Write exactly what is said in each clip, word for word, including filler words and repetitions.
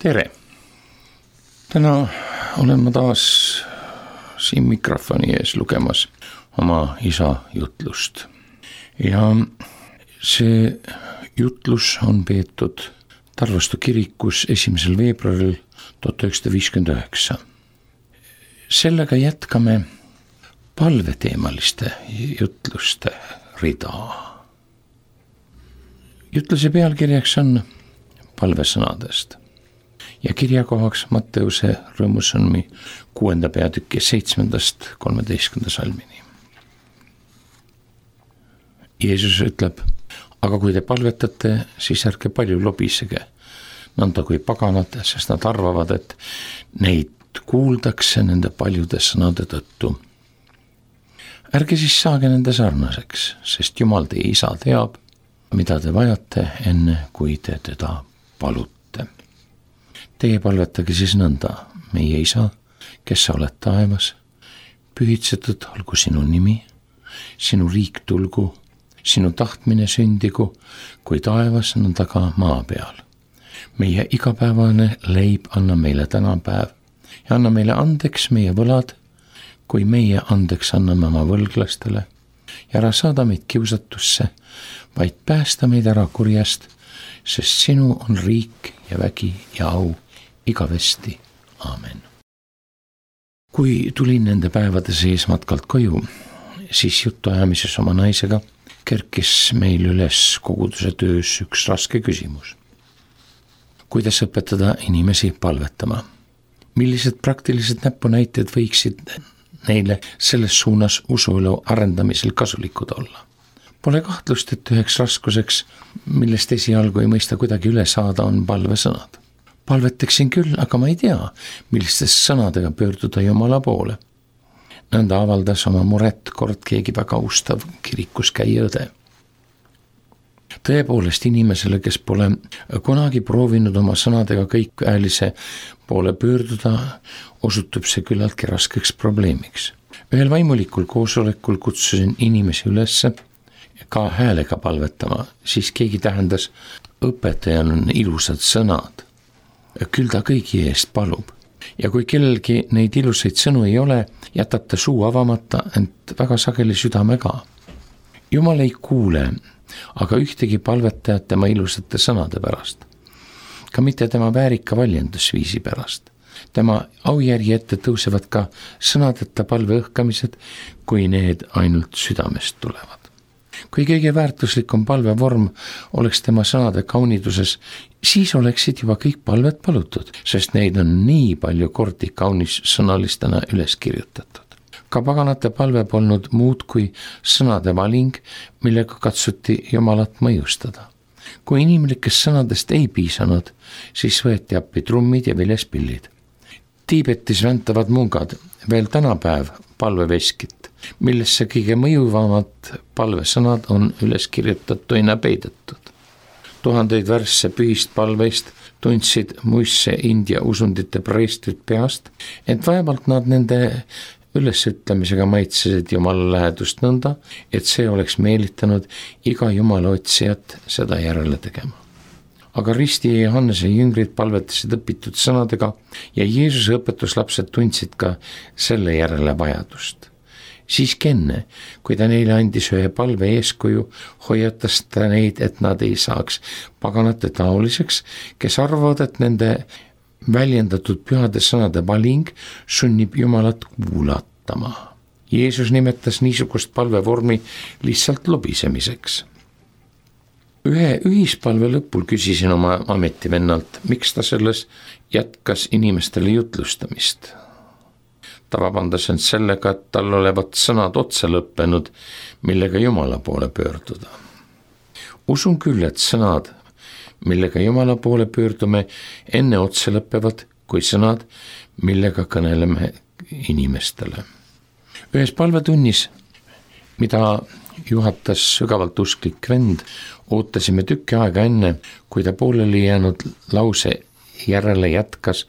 tere! Täna olen ma taas siin mikrofoni ees lugemas oma isa jutlust. Ja see jutlus on peetud Tarvastu kirikus esimesel veebruaril tuhat üheksasada viiskümmend üheksa. Sellega jätkame palveteemaliste jutluste rida. Jutluse pealkirjaks on palvesõnadest ja kirjakohaks Matteuse rõõmusõnumi kuuenda peatüki seitsmendast kolmeteistkümnenda salmini. Jeesus ütleb, aga kui te palvetate, siis ärge palju lobisege, nõnda kui paganad, sest nad arvavad, et neid kuuldakse nende paljude sõnade tõttu. Ärge siis saage nende sarnaseks, sest Jumal teie isa teab, mida te vajate enne, kui te teda palute. Teie palvetage siis nõnda, meie isa, kes sa oled taevas, pühitsetud olgu sinu nimi, sinu riik tulgu, sinu tahtmine sündigu, kui taevas nõnda ka maa peal. Meie igapäevane leib anna meile tänapäev ja anna meile andeks meie võlad, kui meie andeks anname oma võlglastele ja ära saada meid kiusatusse, vaid päästa meid ära kurjast, sest sinu on riik ja vägi ja au igavesti. Aamen. Kui tulin nende päevade sees matkalt koju, siis jutuajamises oma naisega kerkis meil üles koguduse töös üks raske küsimus. Kuidas õpetada inimesi palvetama? Millised praktilised näpunäited võiksid neile selles suunas usuelu arendamisel kasulikud olla? Pole kahtlust, et üheks raskuseks, millest esialgu ei mõista kuidagi üle saada, on palvesõnad. Palvetaksin küll, aga ma ei tea, millistest sõnadega pöörduda Jumala poole. Nõnda avaldas oma muret kord keegi väga ustav kirikus käia õde. Tõepoolest inimesele, kes pole kunagi proovinud oma sõnadega kõikväelise poole pöörduda, osutub see küllaltki raskeks probleemiks. Ühel vaimulikul koosolekul kutsusin inimesi ülesse ka häälega palvetama, siis keegi tähendas, õpetajal on ilusad sõnad. Küll ta kõigi eest palub. Ja kui kellelgi neid ilusaid sõnu ei ole, jätab ta suu avamata, ent väga sageli südame ka. Jumal ei kuule, aga ühtegi palvetajat tema ilusate sõnade pärast. Ka mitte tema väärika valjendusviisi pärast. Tema aujärgi ette tõusevad ka sõnadeta palve õhkamised, kui need ainult südamest tulevad. Kui kõige väärtuslikum palvevorm oleks tema sõnade kauniduses, siis oleksid juba kõik palvet palutud, sest neid on nii palju kordi kaunis sõnalistena üles kirjutatud. Ka paganate palve polnud muud kui sõnade valing, millega katsuti Jumalat mõjustada. Kui inimlikest sõnadest ei piisanud, siis võeti appi trummid ja viljespillid. Tiibetis väntavad mungad, veel tänapäev palveveskit, millesse kõige mõjuvamad palvesõnad on üles kirjutatuina peidetud. Tuhandeid värsse pühist palveist tundsid muisse India usundite preestrid peast, ent vaevalt nad nende ülesütlemisega maitsesid Jumala lähedust nõnda, et see oleks meelitanud iga Jumala otsijat seda järele tegema. Aga Risti ja Johannese jüngrid palvetasid õpitud sõnadega ja Jeesuse õpetuslapsed tundsid ka selle järele vajadust. Siiski enne, kui ta neile andis ühe palve eeskuju, hoiatas ta neid, et nad ei saaks paganate taoliseks, kes arvavad, et nende väljendatud pühade sõnade valing sunnib Jumalat kuulatama. Jeesus nimetas niisugust palvevormi lihtsalt lobisemiseks. Ühe ühispalve lõpul küsisin oma ametivennalt, miks ta selles jätkas inimestele jutlustamist. Ta vabandas end sellega, et tal olevat sõnad otsa lõppenud, millega Jumala poole pöörduda. Usun küll, et sõnad, millega Jumala poole pöördume, enne otsa lõppevad kui sõnad, millega kõneleme inimestele. Ühes palvetunnis, mida juhatas sügavalt usklik vend, ootasime tükki aega enne, kui ta pooleli jäänud lause järele jätkas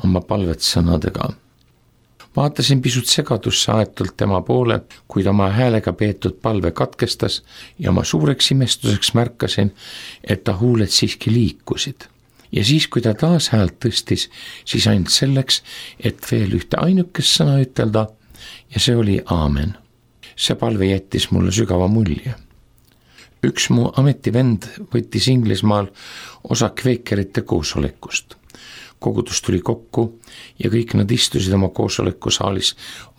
oma palvet sõnadega. Vaatasin pisut segadusse aetult tema poole, kuid oma häälega peetud palve katkestas ja oma suureks imestuseks märkasin, et ta huuled siiski liikusid. ja siis, kui ta taas häält tõstis, siis ainult selleks, et veel ühte ainukest sõna ütelda ja see oli aamen. See palve jättis mulle sügava mulje. Üks mu ametivend võttis Inglismaal osa kveekerite koosolekust. Kogudus tuli kokku ja kõik nad istusid oma koosolekusaalis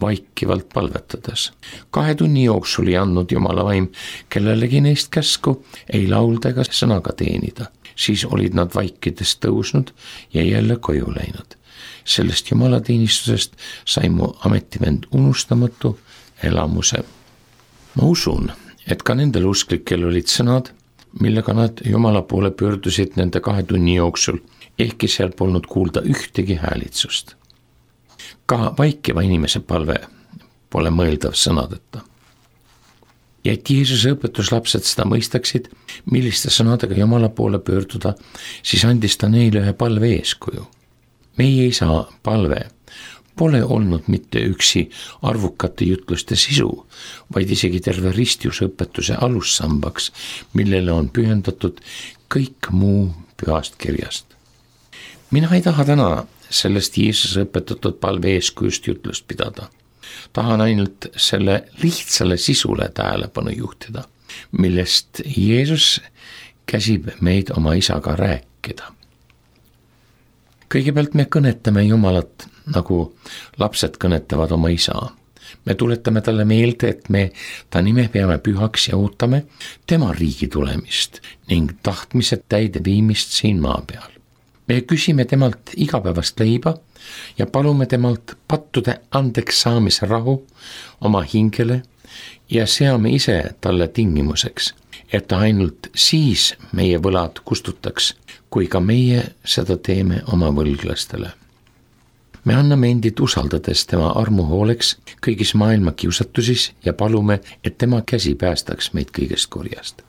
vaikivalt palvetades. Kahe tunni jooksul ei andnud Jumala vaim kellelegi neist käsku ei laulda ega sõnaga teenida. Siis olid nad vaikides tõusnud ja jälle koju läinud. Sellest jumalateenistusest sai mu ametivend unustamatu elamuse. Ma usun, et ka nendel usklikel olid sõnad, millega nad Jumala poole pöördusid nende kahe tunni jooksul, ehkki seal polnud kuulda ühtegi häälitsust. Ka vaikiva inimese palve pole mõeldav sõnadeta. Ja et Jeesuse õpetuslapsed seda mõistaksid, milliste sõnadega Jumala poole pöörduda, siis andis ta neile ühe palve eeskuju. Meie isa palve pole olnud mitte üksi arvukate jutluste sisu, vaid isegi terve ristjusõpetuse alussambaks, millele on pühendatud kõik muu pühast kirjast. Mina ei taha täna sellest Jeesuse õpetatud palve eeskujust jutlust pidada. Tahan ainult selle lihtsale sisule tähelepanu juhtida, millest Jeesus käsib meid oma isaga rääkida. Kõigepealt me kõnetame Jumalat, nagu lapsed kõnetavad oma isa. Me tuletame talle meelde, et me ta nime peame pühaks ja ootame tema riigi tulemist ning tahtmise täide viimist siin maa peal. Me küsime temalt igapäevast leiba ja palume temalt pattude andeks saamise rahu oma hingele ja seame ise talle tingimuseks, et ta ainult siis meie võlad kustutaks, kui ka meie seda teeme oma võlglastele. Me anname endid usaldades tema armu hooleks kõigis maailma kiusatusis ja palume, et tema käsi päästaks meid kõigest kurjast.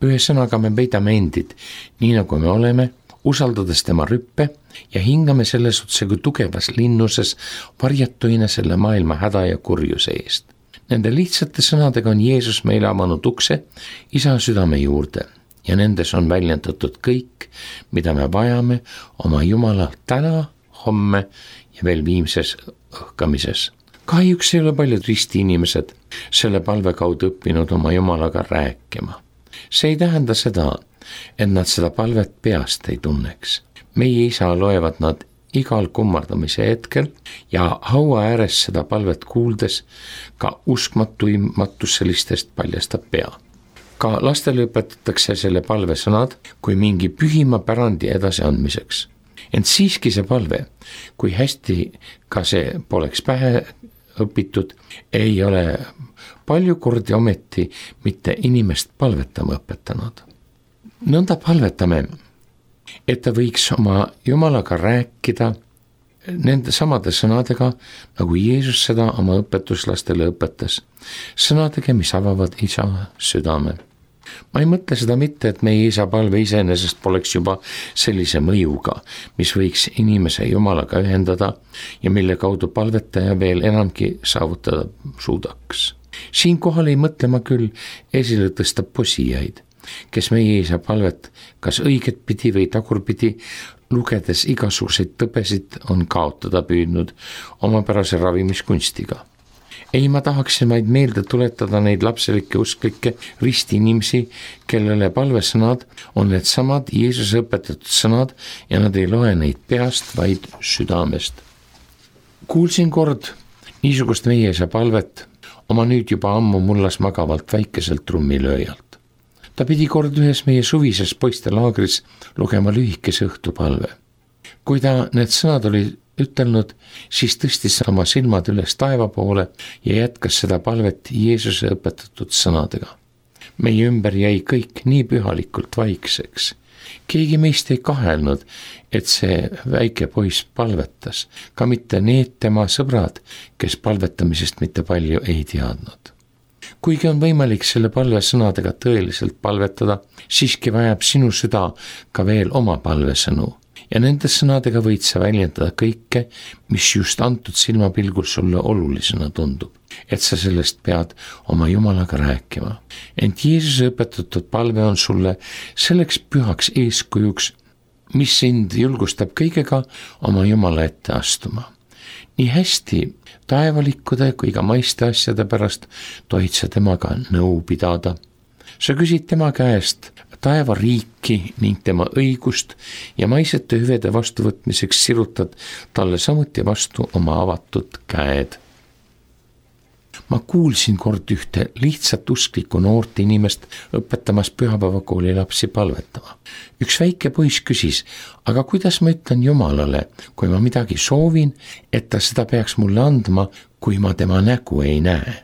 Ühesõnaga me peidame endid, nii nagu me oleme, usaldades tema rüppe ja hingame selles otse kui tugevas linnuses varjatuina selle maailma häda ja kurjuse eest. Nende lihtsate sõnadega on Jeesus meile avanud ukse isa südame juurde ja nendes on väljendatud kõik, mida me vajame oma Jumala täna, homme ja veel viimses õhkamises. Kahjuks ei ole paljud risti inimesed selle palve kaudu õppinud oma Jumalaga rääkima. See ei tähenda seda, et nad seda palvet peast ei tunneks. Meie isa loevad nad igal kummardamise hetkel ja haua ääres seda palvet kuuldes ka uskmatuimatuselistest paljastab pea. Ka lastele õpetatakse selle palve sõnad kui mingi pühima pärandi edasiandmiseks. Ent siiski see palve, kui hästi ka see poleks pähe õpitud, ei ole palju kordi ometi mitte inimest palvetama õpetanud. Nõnda palvetame, et ta võiks oma Jumalaga rääkida nende samade sõnadega, nagu Jeesus seda oma õpetuslastele õpetas, sõnadega, mis avavad isa südame. Ma ei mõtle seda mitte, et meie isa palve iseenesest poleks juba sellise mõjuga, mis võiks inimese Jumalaga ühendada ja mille kaudu palvetaja veel enamgi saavutada suudaks. Siinkohal ei mõtle ma küll esile tõsta posijaid, kes meie isa palvet kas õiget pidi või tagurpidi lugedes igasuguseid tõbesid on kaotada püüdnud omapärase ravimiskunstiga. Ei, ma tahaksin vaid meelde tuletada neid lapselikke usklikke ristiinimesi, kellele palvesõnad on need samad Jeesuse õpetatud sõnad ja nad ei loe neid peast, vaid südamest. Kuulsin kord niisugust meie isa palvet oma nüüd juba ammu mullas magavalt väikeselt trummilööjalt. Ta pidi kord ühes meie suvises poiste laagris lugema lühikese õhtupalve. Kui ta need sõnad oli ütelnud, siis tõstis oma silmad üles taeva poole ja jätkas seda palvet Jeesuse õpetatud sõnadega. Meie ümber jäi kõik nii pühalikult vaikseks. Keegi meist ei kahelnud, et see väike poiss palvetas, ka mitte need tema sõbrad, kes palvetamisest mitte palju ei teadnud. Kuigi on võimalik selle palvesõnadega tõeliselt palvetada, siiski vajab sinu süda ka veel oma palvesõnu. Ja nende sõnadega võid sa väljendada kõike, mis just antud silmapilgul sulle olulisena tundub, et sa sellest pead oma Jumalaga rääkima. Ent Jeesuse õpetatud palve on sulle selleks pühaks eeskujuks, mis sind julgustab kõigega oma Jumala ette astuma. Nii hästi taevalikkude kui ka maiste asjade pärast tohid sa temaga nõu pidada. Sa küsid tema käest taeva riiki ning tema õigust ja maisete hüvede vastuvõtmiseks sirutad talle samuti vastu oma avatud käed. Ma kuulsin kord ühte lihtsalt usklikku noort inimest õpetamas pühapäevakooli lapsi palvetama. Üks väike poiss küsis, aga kuidas ma ütlen Jumalale, kui ma midagi soovin, et ta seda peaks mulle andma, kui ma tema nägu ei näe?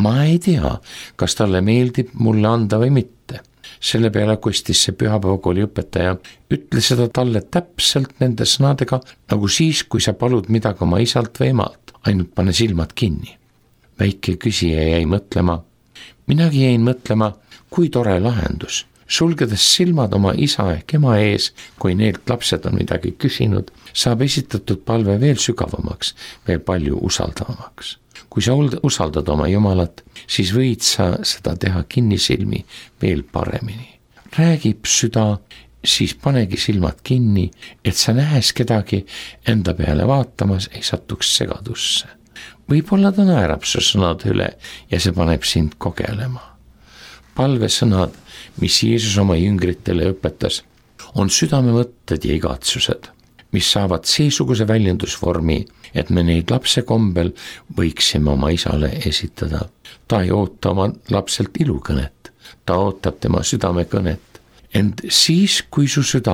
Ma ei tea, kas talle meeldib mulle anda või mitte. Selle peale kostis see pühapäevakooli õpetaja, ütle seda talle täpselt nende sõnadega, nagu siis, kui sa palud midagi oma isalt või emalt, ainult pane silmad kinni. Väike küsija jäi mõtlema. Minagi jäin mõtlema, kui tore lahendus. Sulgedes silmad oma isa ehk ema ees, kui neilt lapsed on midagi küsinud, saab esitatud palve veel sügavamaks, veel palju usaldavamaks. Kui sa usaldad oma Jumalat, siis võid sa seda teha kinnisilmi veel paremini. Räägib süda, siis panegi silmad kinni, et sa nähes kedagi enda peale vaatamas ei satuks segadusse. Võib-olla ta naerab su sõnad üle ja see paneb sind kogelema. Palvesõnad, mis Jeesus oma jüngritele õpetas, on südamemõtted ja igatsused, mis saavad seesuguse väljendusvormi, et me neid lapse kombel võiksime oma isale esitada. Ta ei oota oma lapselt ilukõnet, ta ootab tema südamekõnet. Ent siis, kui su süda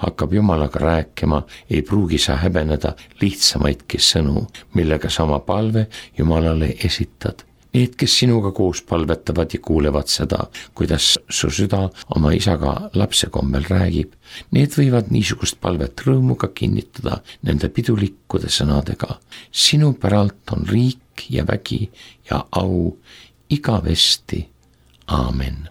hakkab Jumalaga rääkima, ei pruugi sa häbeneda lihtsamaidki sõnu, millega sa oma palve Jumalale esitad. Need, kes sinuga koos palvetavad ja kuulevad seda, kuidas su süda oma isaga lapse kombel räägib, need võivad niisugust palvet rõõmuga kinnitada nende pidulikkude sõnadega. Sinu päralt on riik ja vägi ja au igavesti. Aamen.